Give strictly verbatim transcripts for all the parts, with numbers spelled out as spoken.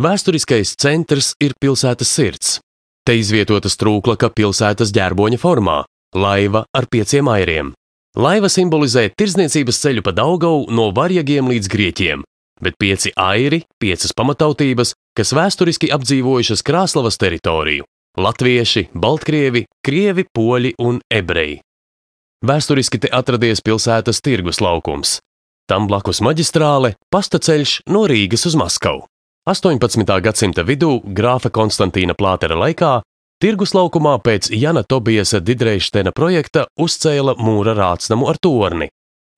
Vēsturiskais centrs ir pilsētas sirds. Te izvietota strūklaka pilsētas ģerboņa formā – laiva ar pieciem airiem. Laiva simbolizē tirdzniecības ceļu pa Daugavu no varjagiem līdz grieķiem, bet pieci airi, piecas pamatautības, kas vēsturiski apdzīvojušas Krāslavas teritoriju – latvieši, baltkrievi, krievi, poļi un ebreji. Vēsturiski te atradies pilsētas tirgus laukums. Tam blakus maģistrāle, pasta ceļš no Rīgas uz Maskavu. astoņpadsmitā gadsimta vidū, grāfa Konstantīna Plātera laikā, tirgus laukumā pēc Jana Tobiasa Didreištena projekta uzcēla mūra rātsnamu ar torni.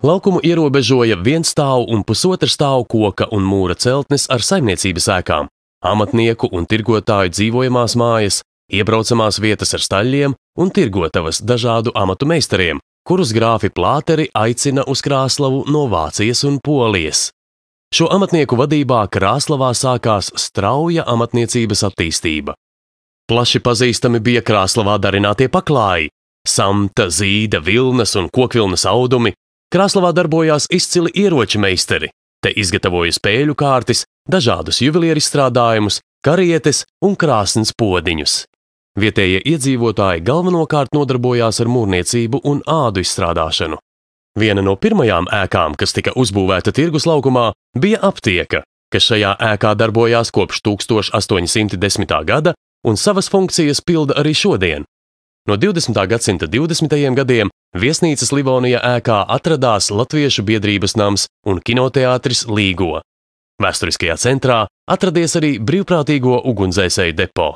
Laukumu ierobežoja vienstāvu un pusotra stāvu koka un mūra celtnes ar saimniecības ēkām, amatnieku un tirgotāju dzīvojamās mājas, iebraucamās vietas ar staļļiem un tirgotavas dažādu amatu meistariem, kurus grāfi Plāteri aicina uz Krāslavu no Vācijas un Polijas. Šo amatnieku vadībā Krāslavā sākās strauja amatniecības attīstība. Plaši pazīstami bija Krāslavā darinātie paklāji – samta, zīda, vilnas un kokvilnas audumi. Krāslavā darbojās izcili ieroči meistari. Te izgatavoja spēļu kārtis, dažādus juvelieru izstrādājumus, karietes un krāsns podiņus. Vietējie iedzīvotāji galvenokārt nodarbojās ar mūrniecību un ādu izstrādāšanu. Viena no pirmajām ēkām, kas tika uzbūvēta tirgus laukumā, bija aptieka, kas šajā ēkā darbojās kopš tūkstoš astoņi simti desmitā gada un savas funkcijas pilda arī šodien. No divdesmitā gadsimta divdesmitajiem gadiem viesnīcas Livonija ēkā atradās Latviešu biedrības nams un kinoteātris Līgo. Vēsturiskajā centrā atradies arī brīvprātīgo ugunsdzēsēju depo.